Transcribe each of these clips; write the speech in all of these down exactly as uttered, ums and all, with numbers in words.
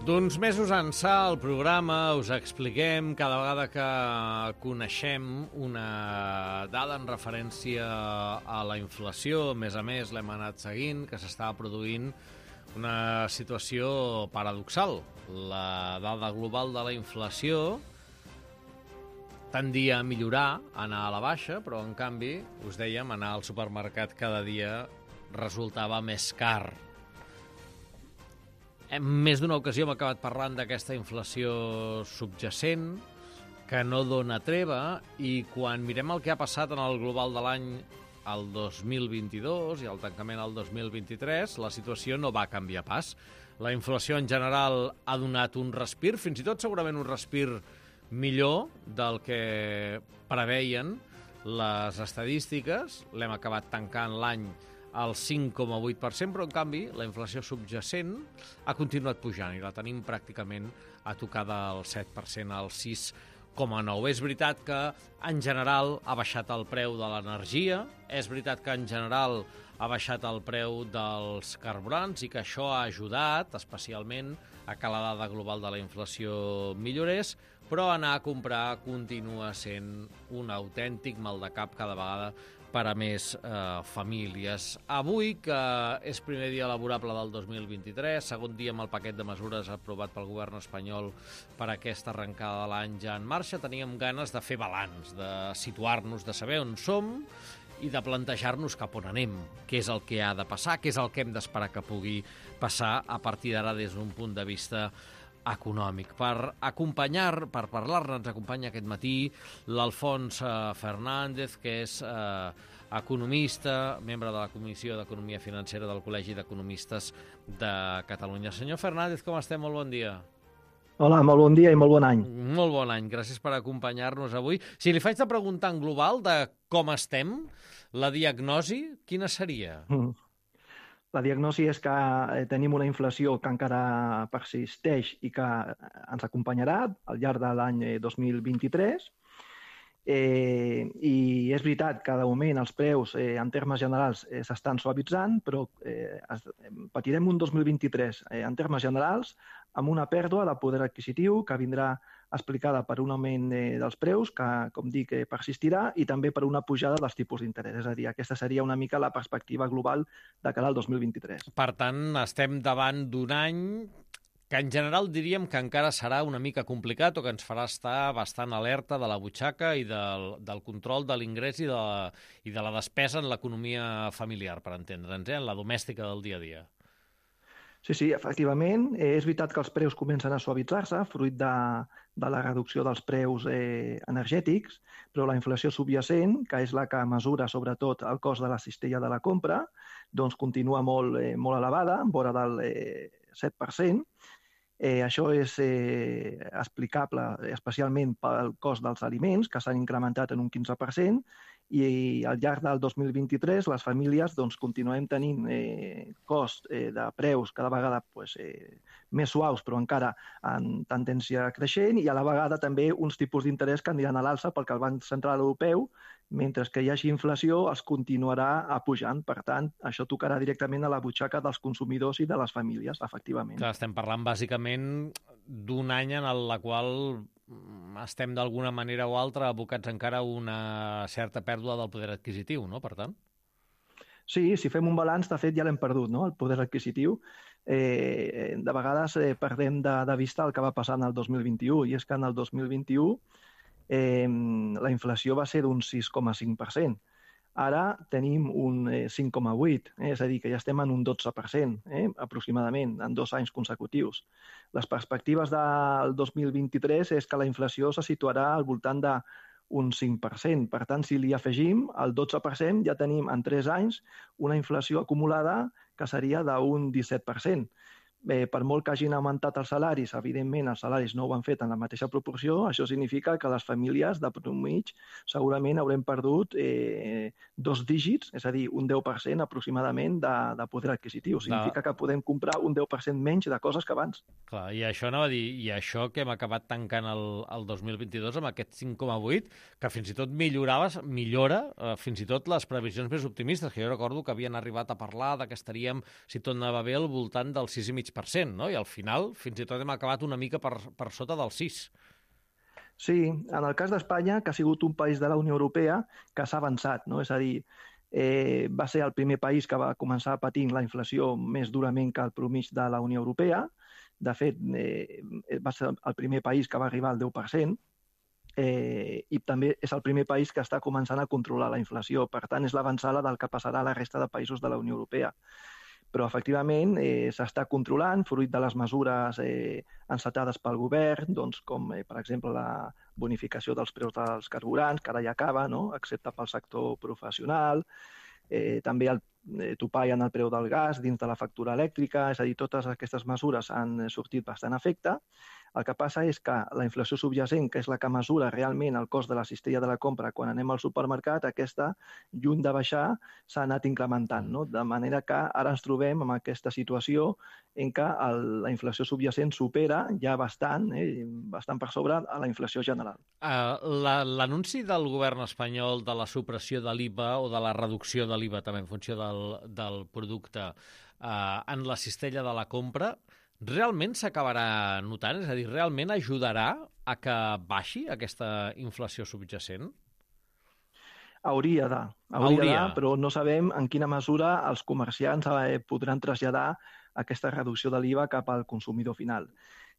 D'uns mesos ençà al programa us expliquem cada vegada que coneixem una dada en referència a la inflació. A més a més, l'hem anat seguint, que s'estava produint una situació paradoxal. La dada global de la inflació tendia a millorar, a anar a la baixa, però en canvi, us dèiem, anar al supermercat cada dia resultava més car. En més d'una ocasió hem acabat parlant d'aquesta inflació subjacent, que no dona treva, i quan mirem el que ha passat en el global de l'any el dos mil vint-i-dos i el tancament al dos mil vint-i-tres, la situació no va canviar pas. La inflació en general ha donat un respir, fins i tot segurament un respir millor del que preveien les estadístiques. L'hem acabat tancant l'any al cinc coma vuit per cent, però en canvi la inflació subjacent ha continuat pujant i la tenim pràcticament a tocar del set per cent al sis coma nou. És veritat que en general ha baixat el preu de l'energia, és veritat que en general ha baixat el preu dels carburants i que això ha ajudat especialment a que la dada global de la inflació millorés, però anar a comprar continua sent un autèntic maldecap cada vegada per a més eh, famílies. Avui, que és primer dia laborable del dos mil vint-i-tres, segon dia amb el paquet de mesures aprovat pel govern espanyol per a aquesta arrencada de l'any ja en marxa, teníem ganes de fer balanç, de situar-nos, de saber on som i de plantejar-nos cap on anem, què és el que ha de passar, què és el que hem d'esperar que pugui passar a partir d'ara des d'un punt de vista econòmic. Per acompanyar, per parlar-ne, ens acompanya aquest matí l'Alfons Fernández, que és eh, economista, membre de la Comissió d'Economia Financera del Col·legi d'Economistes de Catalunya. Senyor Fernández, com estem? Molt bon dia. Hola, molt bon dia i molt bon any. Molt bon any, gràcies per acompanyar-nos avui. Si li faig de preguntar en global de com estem, la diagnosi, quina seria? Mm. La diagnosi és que tenim una inflació que encara persisteix i que ens acompanyarà al llarg de l'any dos mil vint-i-tres. Eh, I és veritat que de moment els preus eh, en termes generals eh, s'estan suavitzant, però eh, es, patirem un dos mil vint-i-tres eh, en termes generals amb una pèrdua de poder adquisitiu que vindrà explicada per un augment eh, dels preus que, com dic, eh, persistirà, i també per una pujada dels tipus d'interès. És a dir, aquesta seria una mica la perspectiva global de cara al dos mil vint-i-tres. Per tant, estem davant d'un any que en general diríem que encara serà una mica complicat o que ens farà estar bastant alerta de la butxaca i del, del control de l'ingrés i, de la, i de la despesa en l'economia familiar, per entendre'ns, eh? En la domèstica del dia a dia. Sí, sí, efectivament. Eh, és veritat que els preus comencen a suavitzar-se, fruit de, de la reducció dels preus eh, energètics, però la inflació subjacent, que és la que mesura sobretot el cost de la cistella de la compra, doncs continua molt, eh, molt elevada, vora del eh, set per cent. Eh, això és eh, explicable especialment pel cost dels aliments, que s'han incrementat en un quinze per cent, i al llarg del dos mil vint-i-tres les famílies doncs, continuem tenint eh, cost eh, de preus cada vegada pues, eh, més suaus, però encara en tendència creixent, i a la vegada també uns tipus d'interès que aniran a l'alça perquè el Banc Central Europeu, mentre que hi hagi inflació, els continuarà pujant. Per tant, això tocarà directament a la butxaca dels consumidors i de les famílies, efectivament. Clar, estem parlant bàsicament d'un any en el qual estem d'alguna manera o altra abocats encara a una certa pèrdua del poder adquisitiu, no? Per tant? Sí, si fem un balanç, de fet ja l'hem perdut, no? El poder adquisitiu. Eh, de vegades eh, perdem de, de vista el que va passar en el dos mil vint-i-u, i és que en el dos mil vint-i-u eh, la inflació va ser d'un sis coma cinc per cent. Ara tenim un cinc coma vuit, eh? És a dir, que ja estem en un dotze per cent, eh? aproximadament, en dos anys consecutius. Les perspectives del dos mil vint-i-tres és que la inflació se situarà al voltant d'un cinc per cent. Per tant, si li afegim el dotze per cent, ja tenim en tres anys una inflació acumulada que seria d'un disset per cent. Bé, per molt que hagin augmentat els salaris, evidentment els salaris no ho han fet en la mateixa proporció, això significa que les famílies de mig segurament haurem perdut eh, dos dígits, és a dir, un deu per cent aproximadament de, de poder adquisitiu. Significa que podem comprar un deu per cent menys de coses que abans. Clar, i això anava a dir, i això que hem acabat tancant el, el dos mil vint-i-dos amb aquest cinc coma vuit, que fins i tot millorava, millora eh, fins i tot les previsions més optimistes, que jo recordo que havien arribat a parlar de que estaríem, si tot anava bé, al voltant del sis coma cinc mig per cent, no? I al final fins i tot hem acabat una mica per, per sota del sis. Sí, en el cas d'Espanya, que ha sigut un país de la Unió Europea que s'ha avançat, no? És a dir, eh, va ser el primer país que va començar patint la inflació més durament que el promig de la Unió Europea. De fet, eh, va ser el primer país que va arribar al deu per cent, eh, i també és el primer país que està començant a controlar la inflació. Per tant, és l'avançada del que passarà a la resta de països de la Unió Europea. Però, efectivament, eh, s'està controlant, fruit de les mesures eh, encetades pel govern, doncs, com, eh, per exemple, la bonificació dels preus dels carburants, que ara ja acaba, no? Excepte pel sector professional, eh, també el eh, topall en el preu del gas dins de la factura elèctrica, és a dir, totes aquestes mesures han sortit bastant a efecte. El que passa és que la inflació subjacent, que és la que mesura realment el cost de la cistella de la compra quan anem al supermercat, aquesta, lluny de baixar, s'ha anat incrementant, no? De manera que ara ens trobem en aquesta situació en què el, la inflació subjacent supera ja bastant, eh, bastant per sobre a la inflació general. Uh, L'anunci del govern espanyol de la supressió de l'I V A o de la reducció de l'I V A també en funció del, del producte uh, en la cistella de la compra, realment s'acabarà notant? És a dir, realment ajudarà a que baixi aquesta inflació subjacent? Hauria de, hauria de, però no sabem en quina mesura els comerciants eh, podran traslladar aquesta reducció de l'I V A cap al consumidor final.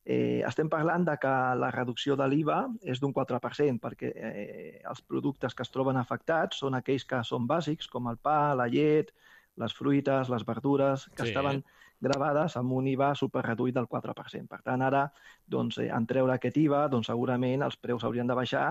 Eh, estem parlant de que la reducció de l'I V A és d'un quatre per cent, perquè eh, els productes que es troben afectats són aquells que són bàsics, com el pa, la llet, les fruites, les verdures, que sí. estaven gravades amb un I V A superreduït del quatre per cent. Per tant, ara, doncs, en treure aquest I V A, doncs, segurament els preus haurien de baixar,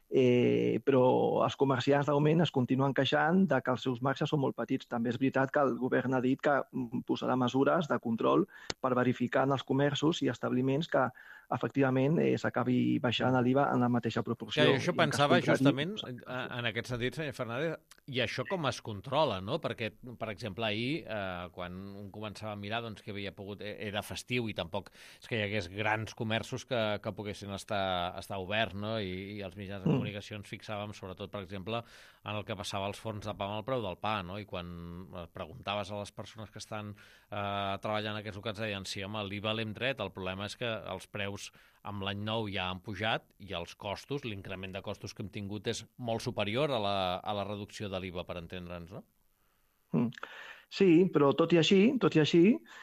eh, però els comerciants de moment es continuen queixant de que els seus marges són molt petits. També és veritat que el govern ha dit que posarà mesures de control per verificar en els comerços i establiments que efectivament eh, s'acabi baixant l'I V A en la mateixa proporció. Ja, jo pensava justament en aquest sentit, senyor Fernández, i això com es controla, no? Perquè, per exemple, ahir, eh, quan un començava a mirar doncs, que havia pogut, era festiu i tampoc és que hi hagués grans comerços que, que poguessin estar, estar oberts, no? I, i els mitjans de comunicació ens fixàvem sobretot, per exemple, en el que passava als forns de pa amb el preu del pa, no? I quan preguntaves a les persones que estan eh, treballant en aquests locals, deien, sí, home, l'I V A l'hem tret, el problema és que els preus amb l'any nou ja han pujat i els costos, l'increment de costos que hem tingut és molt superior a la, a la reducció de l'I V A, per entendre'ns, no? Mm. Sí, però tot i així, tot i així,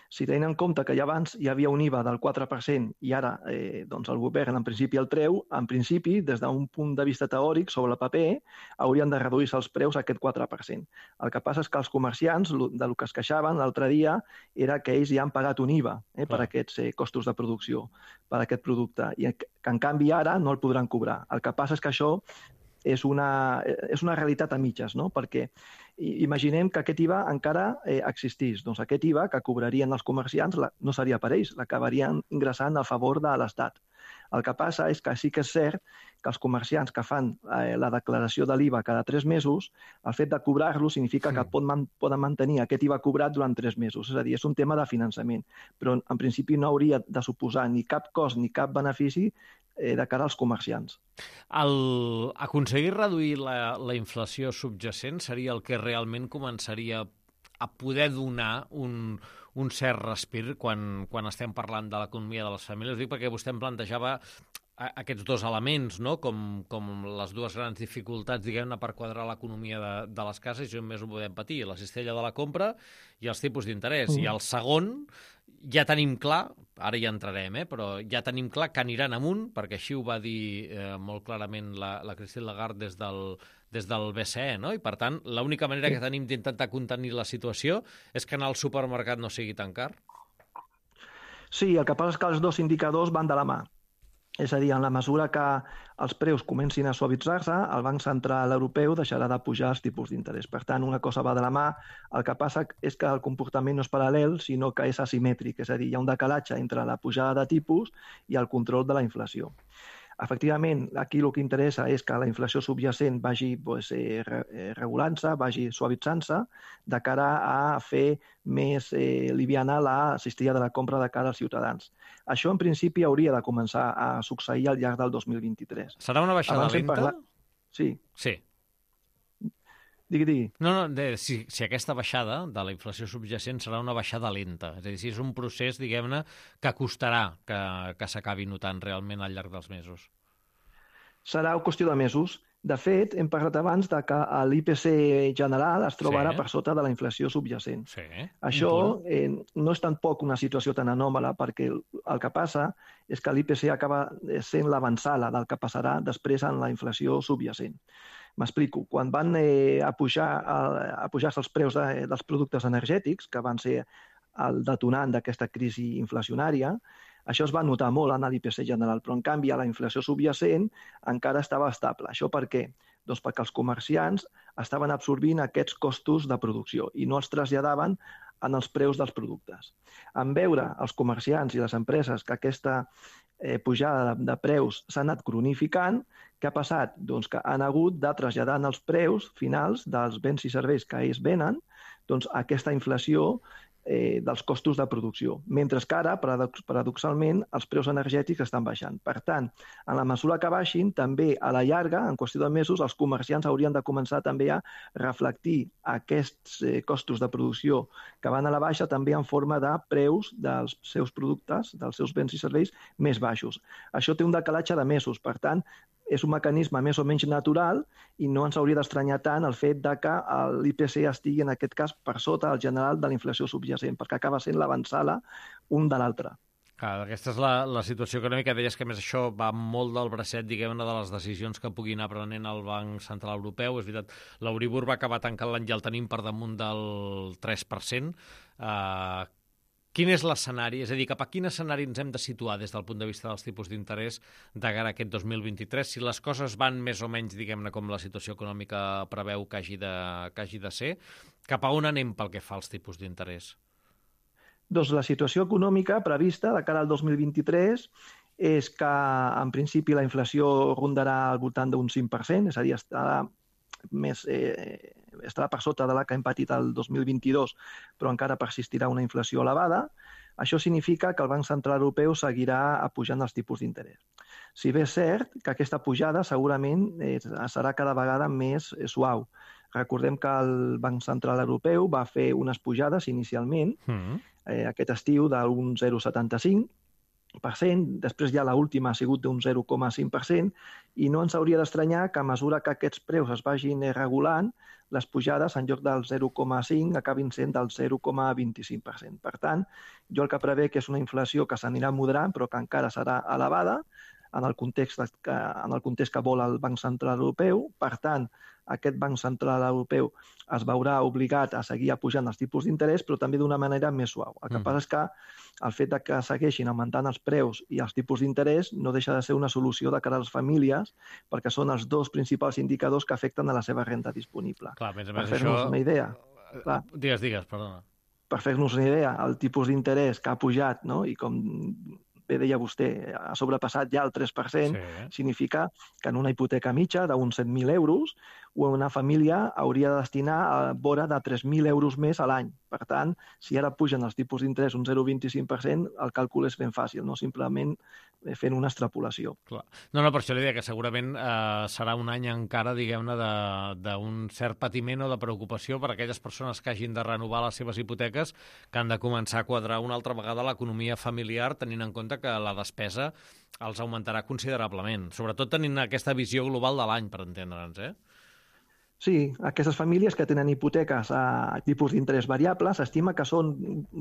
si tenim en compte que ja abans hi havia un I V A del quatre per cent i ara eh, doncs el govern en principi el treu, en principi, des d'un punt de vista teòric, sobre el paper, haurien de reduir-se els preus a aquest quatre per cent. El que passa és que els comerciants, del que es queixaven l'altre dia, era que ells ja han pagat un I V A eh, per aquests eh, costos de producció, per aquest producte, i que en canvi ara no el podran cobrar. El que passa és que això és una, és una realitat a mitges, no? Perquè imaginem que aquest I V A encara eh, existís. Doncs aquest I V A que cobrarien els comerciants la, no seria per ells, l'acabarien ingressant a favor de l'Estat. El que passa és que sí que és cert que els comerciants que fan eh, la declaració de l'I V A cada tres mesos, el fet de cobrar-lo significa sí. que pot man, poden mantenir aquest I V A cobrat durant tres mesos. És a dir, és un tema de finançament. Però en principi no hauria de suposar ni cap cost ni cap benefici eh, de cara als comerciants. El, aconseguir reduir la, la inflació subjacent seria el que realment començaria a poder donar un, un cert respir quan, quan estem parlant de l'economia de les famílies. Dic perquè vostè em plantejava aquests dos elements, no? com, com les dues grans dificultats, diguem-ne, per quadrar l'economia de, de les cases, i només ho podem patir, la cistella de la compra i els tipus d'interès. Mm. I el segon, ja tenim clar, ara ja entrarem, eh, però ja tenim clar que aniran amunt, perquè així ho va dir eh, molt clarament la, la Christine Lagarde des del, des del B C E, no? I per tant, l'única manera que tenim d'intentar contenir la situació és que anar al supermercat no sigui tan car. Sí, el que passa és que els dos indicadors van de la mà. És a dir, en la mesura que els preus comencin a suavitzar-se, el Banc Central Europeu deixarà de pujar els tipus d'interès. Per tant, una cosa va de la mà. El que passa és que el comportament no és paral·lel, sinó que és asimètric. És a dir, hi ha un decalatge entre la pujada de tipus i el control de la inflació. Efectivament, aquí el que interessa és que la inflació subjacent vagi pues, eh, regulant-se, vagi suavitzant-se, de cara a fer més eh, liviana la cistella de la compra de cara als ciutadans. Això, en principi, hauria de començar a succeir al llarg del dos mil vint-i-tres. Serà una baixada lenta? Parlat... Sí. Sí. Digui, digui. No, no, de, si, si aquesta baixada de la inflació subjacent serà una baixada lenta. És a dir, si és un procés, diguem-ne, que costarà que, que s'acabi notant realment al llarg dels mesos. Serà qüestió de mesos. De fet, hem parlat abans de que l'I P C general es trobarà Sí. per sota de la inflació subjacent. Sí, Això un punt. eh, no és tampoc una situació tan anòmala, perquè el, el que passa és que l'I P C acaba sent l'avançala del que passarà després en la inflació subjacent. M'explico. Quan van eh, a pujar a, a pujar-se els preus de, dels productes energètics, que van ser el detonant d'aquesta crisi inflacionària, això es va notar molt en l'I P C general, però en canvi a la inflació subjacent encara estava estable. Això per què? Doncs perquè els comerciants estaven absorbint aquests costos de producció i no els traslladaven en els preus dels productes. En veure els comerciants i les empreses que aquesta eh, pujada de, de preus s'ha anat cronificant, què ha passat? Doncs que han hagut de traslladar en els preus finals dels béns i serveis que ells venen doncs, aquesta inflació eh, dels costos de producció, mentre que ara, paradox paradoxalment, els preus energètics estan baixant. Per tant, en la mesura que baixin, també a la llarga, en qüestió de mesos, els comerciants haurien de començar també a reflectir aquests eh, costos de producció que van a la baixa també en forma de preus dels seus productes, dels seus béns i serveis més baixos. Això té un decalatge de mesos, per tant, és un mecanisme més o menys natural i no ens hauria d'estranyar tant el fet de que l'I P C estigui, en aquest cas, per sota del general de la inflació subjacent, perquè acaba sent l'avançala un de l'altre. Clar, aquesta és la, la situació econòmica. Deies que, més, això va molt del bracet, diguem-ne, de les decisions que pugui anar prenent el Banc Central Europeu. És veritat, l'Euribor va acabar tancant l'any i el tenim per damunt del tres per cent. Uh, Quin és l'escenari? És a dir, cap a quin escenari ens hem de situar des del punt de vista dels tipus d'interès de cara a aquest dos mil vint-i-tres? Si les coses van més o menys, diguem-ne, com la situació econòmica preveu que hagi de, que hagi de ser, cap a on anem pel que fa als tipus d'interès? Doncs la situació econòmica prevista de cara al dos mil vint-i-tres és que, en principi, la inflació rondarà al voltant d'un cinc per cent, és a dir, estarà més, eh, estarà per sota de la que hem patit el dos mil vint-i-dos, però encara persistirà una inflació elevada. Això significa que el Banc Central Europeu seguirà pujant els tipus d'interès. Si bé és cert que aquesta pujada segurament eh, serà cada vegada més eh, suau. Recordem que el Banc Central Europeu va fer unes pujades inicialment, mm. eh, aquest estiu d'un zero coma setanta-cinc per cent, després ja l'última ha sigut d'un zero coma cinc per cent, i no ens hauria d'estranyar que a mesura que aquests preus es vagin regulant, les pujades, en lloc del zero coma cinc, acabin sent del zero coma vint-i-cinc per cent. Per tant, jo el que prevec és una inflació que s'anirà moderant, però que encara serà elevada, en el context que, en el context que vol el Banc Central Europeu. Per tant, aquest Banc Central Europeu es veurà obligat a seguir pujant els tipus d'interès, però també d'una manera més suau. El que mm. passa és que el fet de que segueixin augmentant els preus i els tipus d'interès no deixa de ser una solució de cara a les famílies, perquè són els dos principals indicadors que afecten a la seva renda disponible. Clar, més a més, per fer-nos això... una idea. Clar, digues, digues, perdona. Per fer-nos una idea, el tipus d'interès que ha pujat, no? I com bé deia vostè, ha sobrepassat ja el tres per cent, sí. Significa que en una hipoteca mitja d'uns set mil euros, una família hauria de destinar a vora de tres mil euros més a l'any. Per tant, si ara pugen els tipus d'interès un zero coma vint-i-cinc per cent, el càlcul és ben fàcil, no simplement fent una extrapolació. Clar. No, no, per això li deia que segurament eh, serà un any encara, diguem-ne, d'un cert patiment o de preocupació per a aquelles persones que hagin de renovar les seves hipoteques, que han de començar a quadrar una altra vegada l'economia familiar, tenint en compte que la despesa els augmentarà considerablement, sobretot tenint aquesta visió global de l'any, per entendre'ns, eh? Sí, aquestes famílies que tenen hipoteques a tipus d'interès variable s'estima que són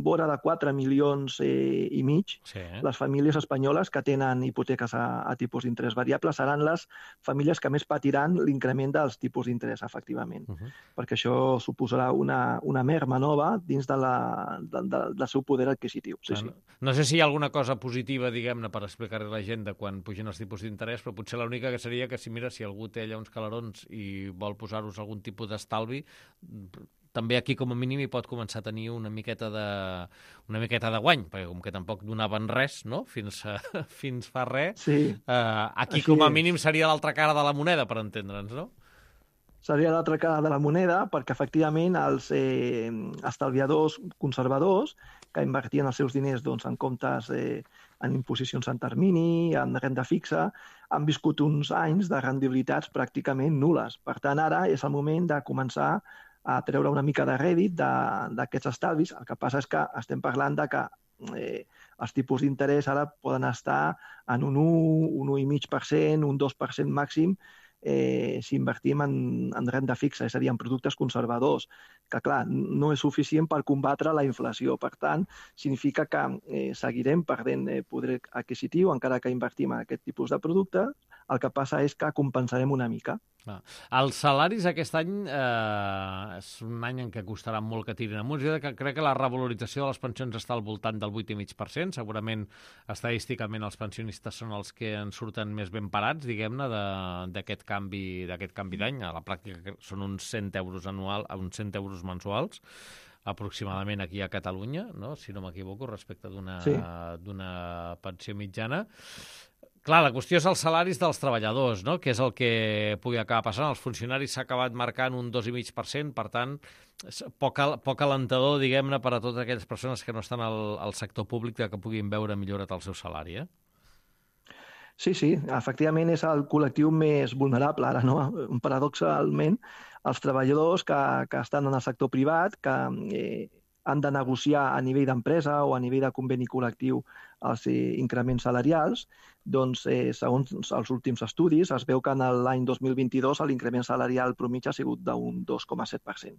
vora de quatre milions eh, i mig. Sí. Les famílies espanyoles que tenen hipoteques a, a tipus d'interès variable seran les famílies que més patiran l'increment dels tipus d'interès, efectivament, uh -huh. perquè això suposarà una, una merma nova dins de la, de, de, del seu poder adquisitiu. Sí, no, sí. no sé si hi ha alguna cosa positiva, diguem-ne, per explicar-li a la gent de quan pugen els tipus d'interès, però potser l'única que seria que si, mira, si algú té allà uns calarons i vol posar-ho algun tipus d'estalvi, també aquí com a mínim hi pot començar a tenir una miqueta de, una miqueta de guany, perquè com que tampoc donaven res, no?, fins, a, fins fa res, sí. eh, aquí Així com a mínim seria l'altra cara de la moneda, per entendre'ns, no? Seria l'altra cara de la moneda, perquè efectivament els eh, estalviadors conservadors que invertien els seus diners doncs, en comptes eh, en imposicions en termini, en renda fixa, han viscut uns anys de rendibilitats pràcticament nules. Per tant, ara és el moment de començar a treure una mica de rèdit d'aquests estalvis. El que passa és que estem parlant de que eh, els tipus d'interès ara poden estar en un un, un un coma cinc per cent, un dos per cent màxim, eh, si invertim en, en renda fixa, és a dir, en productes conservadors, que, clar, no és suficient per combatre la inflació. Per tant, significa que eh, seguirem perdent eh, poder adquisitiu, encara que invertim en aquest tipus de productes. El que passa és que compensarem una mica. Ah. Els salaris aquest any eh, és un any en què costarà molt que tirin amunt. Jo crec que la revalorització de les pensions està al voltant del vuit coma cinc per cent. Segurament, estadísticament, els pensionistes són els que en surten més ben parats, diguem-ne, d'aquest canvi d'aquest canvi d'any. A la pràctica són uns cent euros anual, uns cent euros mensuals, aproximadament aquí a Catalunya, no? Si no m'equivoco, respecte d'una sí. d'una pensió mitjana. Clar, la qüestió és els salaris dels treballadors, no? Que és el que pugui acabar passant. Els funcionaris s'ha acabat marcant un dos coma cinc per cent, per tant, poc, poc alentador, diguem-ne, per a totes aquelles persones que no estan al, al sector públic que puguin veure millorat el seu salari, eh? Sí, sí, efectivament és el col·lectiu més vulnerable ara, no? Paradoxalment, els treballadors que, que estan en el sector privat, que eh, han de negociar a nivell d'empresa o a nivell de conveni col·lectiu els eh, increments salarials, doncs, eh, segons els últims estudis, es veu que en l'any dos mil vint-i-dos l'increment salarial promig ha sigut d'un dos coma set per cent.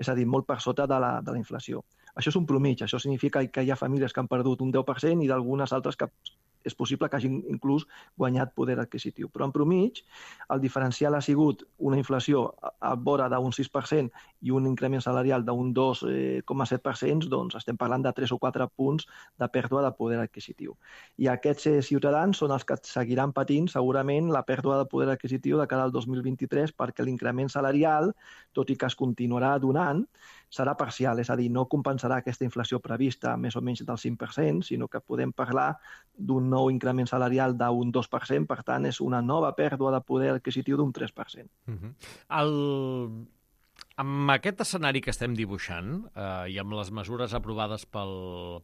És a dir, molt per sota de la, de la inflació. Això és un promig, això significa que hi ha famílies que han perdut un deu per cent i d'algunes altres que és possible que hagin inclús guanyat poder adquisitiu. Però en promig, el diferencial ha sigut una inflació a vora d'un sis per cent i un increment salarial d'un dos coma set per cent, doncs estem parlant de tres o quatre punts de pèrdua de poder adquisitiu. I aquests ciutadans són els que seguiran patint segurament la pèrdua de poder adquisitiu de cara al dos mil vint-i-tres, perquè l'increment salarial, tot i que es continuarà donant, serà parcial, és a dir, no compensarà aquesta inflació prevista més o menys del cinc per cent, sinó que podem parlar d'un nou increment salarial d'un dos per cent, per tant, és una nova pèrdua de poder adquisitiu d'un tres per cent. Uh-huh. El... Amb aquest escenari que estem dibuixant eh, i amb les mesures aprovades pel,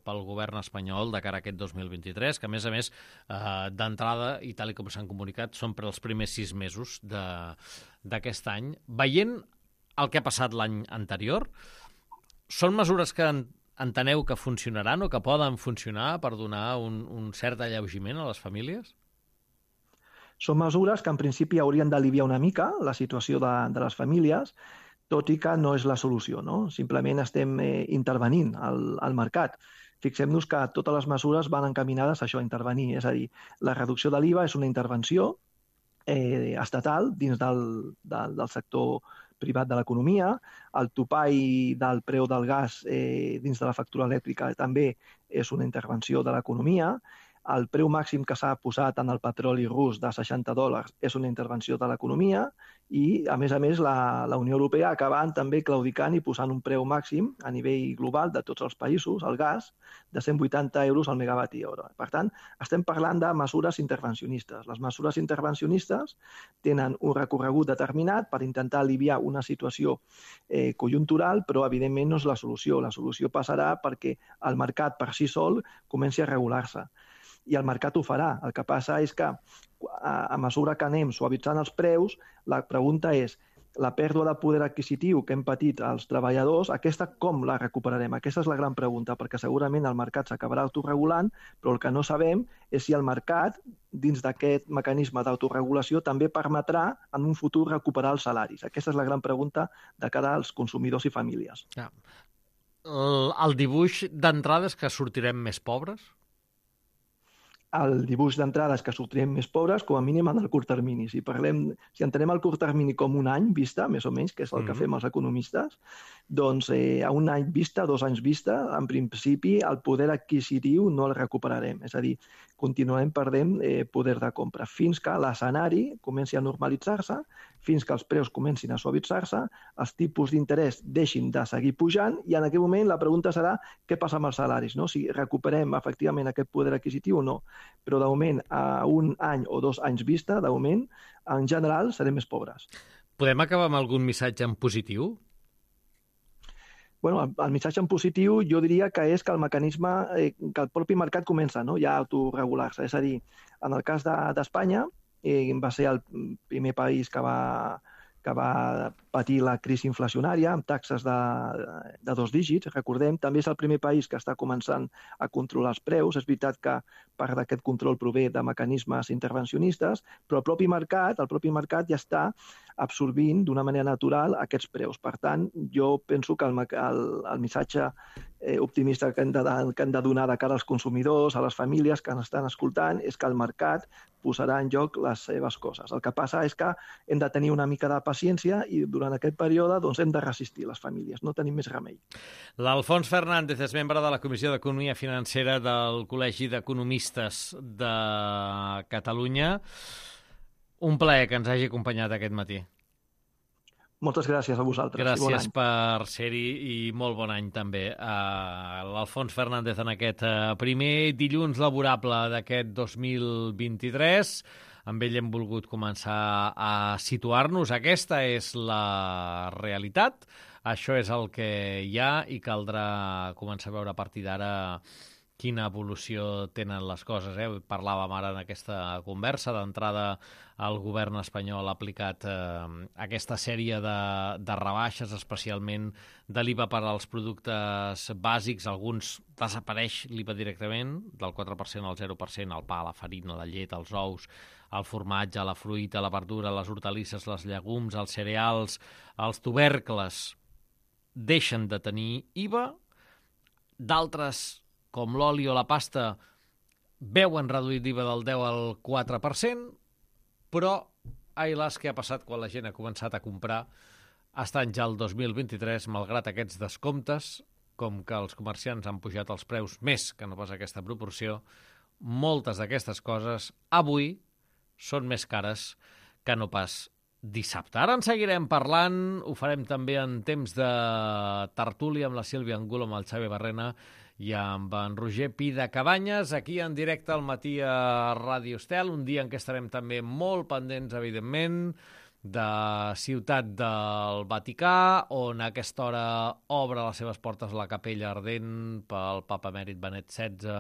pel govern espanyol de cara a aquest dos mil vint-i-tres, que a més a més eh, d'entrada, i tal com s'han comunicat, són per als primers sis mesos d'aquest any, veient el que ha passat l'any anterior, són mesures que enteneu que funcionaran o que poden funcionar per donar un, un cert alleugiment a les famílies? Són mesures que en principi haurien d'aliviar una mica la situació de, de les famílies, tot i que no és la solució, no? Simplement estem eh, intervenint al, al mercat. Fixem-nos que totes les mesures van encaminades a això, a intervenir. És a dir, la reducció de l'I V A és una intervenció eh, estatal dins del, del, del sector privat de l'economia. El topall del preu del gas eh, dins de la factura elèctrica també és una intervenció de l'economia. El preu màxim que s'ha posat en el petroli rus de seixanta dòlars és una intervenció de l'economia i, a més a més, la, la Unió Europea acabant també claudicant i posant un preu màxim a nivell global de tots els països, el gas, de cent vuitanta euros al megawatt hora. Per tant, estem parlant de mesures intervencionistes. Les mesures intervencionistes tenen un recorregut determinat per intentar aliviar una situació eh, conjuntural, però, evidentment, no és la solució. La solució passarà perquè el mercat per si sol comenci a regular-se. I el mercat ho farà. El que passa és que a, a mesura que anem suavitzant els preus, la pregunta és la pèrdua de poder adquisitiu que hem patit els treballadors, aquesta com la recuperarem? Aquesta és la gran pregunta, perquè segurament el mercat s'acabarà autoregulant, però el que no sabem és si el mercat, dins d'aquest mecanisme d'autoregulació, també permetrà en un futur recuperar els salaris. Aquesta és la gran pregunta de cara als consumidors i famílies. Ja. El, el dibuix d'entrada és que sortirem més pobres? El dibuix d'entrada és que sortirem més pobres, com a mínim en el curt termini. Si parlem, si entenem el curt termini com un any vista, més o menys, que és el que mm-hmm. fem els economistes, doncs eh, a un any vista, dos anys vista, en principi el poder adquisitiu no el recuperarem. És a dir, continuarem perdent eh, poder de compra fins que l'escenari comenci a normalitzar-se, fins que els preus comencin a suavitzar-se, els tipus d'interès deixin de seguir pujant i en aquell moment la pregunta serà què passa amb els salaris, no? Si recuperem efectivament aquest poder adquisitiu o no. Però de moment, a un any o dos anys vista, de moment, en general, serem més pobres. Podem acabar amb algun missatge en positiu? Bueno, el, el missatge en positiu jo diria que és que el mecanisme, eh, que el propi mercat comença, no?, ja a autoregular-se. És a dir, en el cas d'Espanya, de, eh, va ser el primer país que va, que va patir la crisi inflacionària amb taxes de, de dos dígits, recordem. També és el primer país que està començant a controlar els preus. És veritat que part d'aquest control prové de mecanismes intervencionistes, però el propi mercat, el propi mercat ja està absorbint d'una manera natural aquests preus. Per tant, jo penso que el, el, el missatge eh, optimista que hem, de, que hem de donar de cara als consumidors, a les famílies que ens estan escoltant, és que el mercat posarà en joc les seves coses. El que passa és que hem de tenir una mica de paciència i durant aquest període doncs, hem de resistir les famílies, no tenim més remei. L'Alfons Fernández és membre de la Comissió d'Economia Financera del Col·legi d'Economistes de Catalunya. Un plaer que ens hagi acompanyat aquest matí. Moltes gràcies a vosaltres. Gràcies bon per ser-hi i molt bon any també. Uh, L'Alfons Fernández en aquest uh, primer dilluns laborable d'aquest dos mil vint-i-tres. Amb ell hem volgut començar a situar-nos. Aquesta és la realitat. Això és el que hi ha i caldrà començar a veure a partir d'ara quina evolució tenen les coses. Eh? Parlàvem ara en aquesta conversa. D'entrada, el govern espanyol ha aplicat eh, aquesta sèrie de, de rebaixes, especialment de l'I V A per als productes bàsics. Alguns desapareix l'I V A directament, del quatre per cent al zero per cent, el pa, la farina, la llet, els ous, el formatge, la fruita, la verdura, les hortalisses, les llegums, els cereals, els tubercles, deixen de tenir I V A. D'altres, com l'oli o la pasta, veuen reduït l'I V A del deu al quatre per cent, però, ai las, què ha passat quan la gent ha començat a comprar estant ja el dos mil vint-i-tres, malgrat aquests descomptes, com que els comerciants han pujat els preus més que no pas aquesta proporció, moltes d'aquestes coses avui són més cares que no pas dissabte. Ara en seguirem parlant, ho farem també en temps de tertúlia amb la Sílvia Angulo, amb el Xavi Barrena i amb en Roger Pidacabanyes, aquí en directe al matí a Ràdio Estel, un dia en què estarem també molt pendents, evidentment, de Ciutat del Vaticà, on a aquesta hora obre les seves portes la capella ardent pel papa emèrit Benet setze,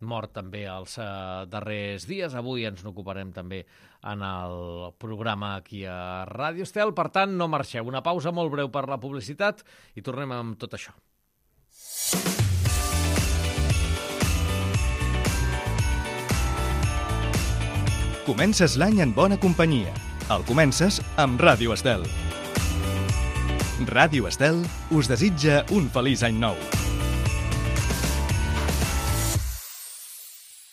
mort també els eh, darrers dies. Avui ens n'ocuparem també en el programa aquí a Ràdio Estel. Per tant, no marxeu. Una pausa molt breu per la publicitat i tornem amb tot això. Comences l'any en bona companyia. El comences amb Ràdio Estel. Ràdio Estel us desitja un feliç any nou.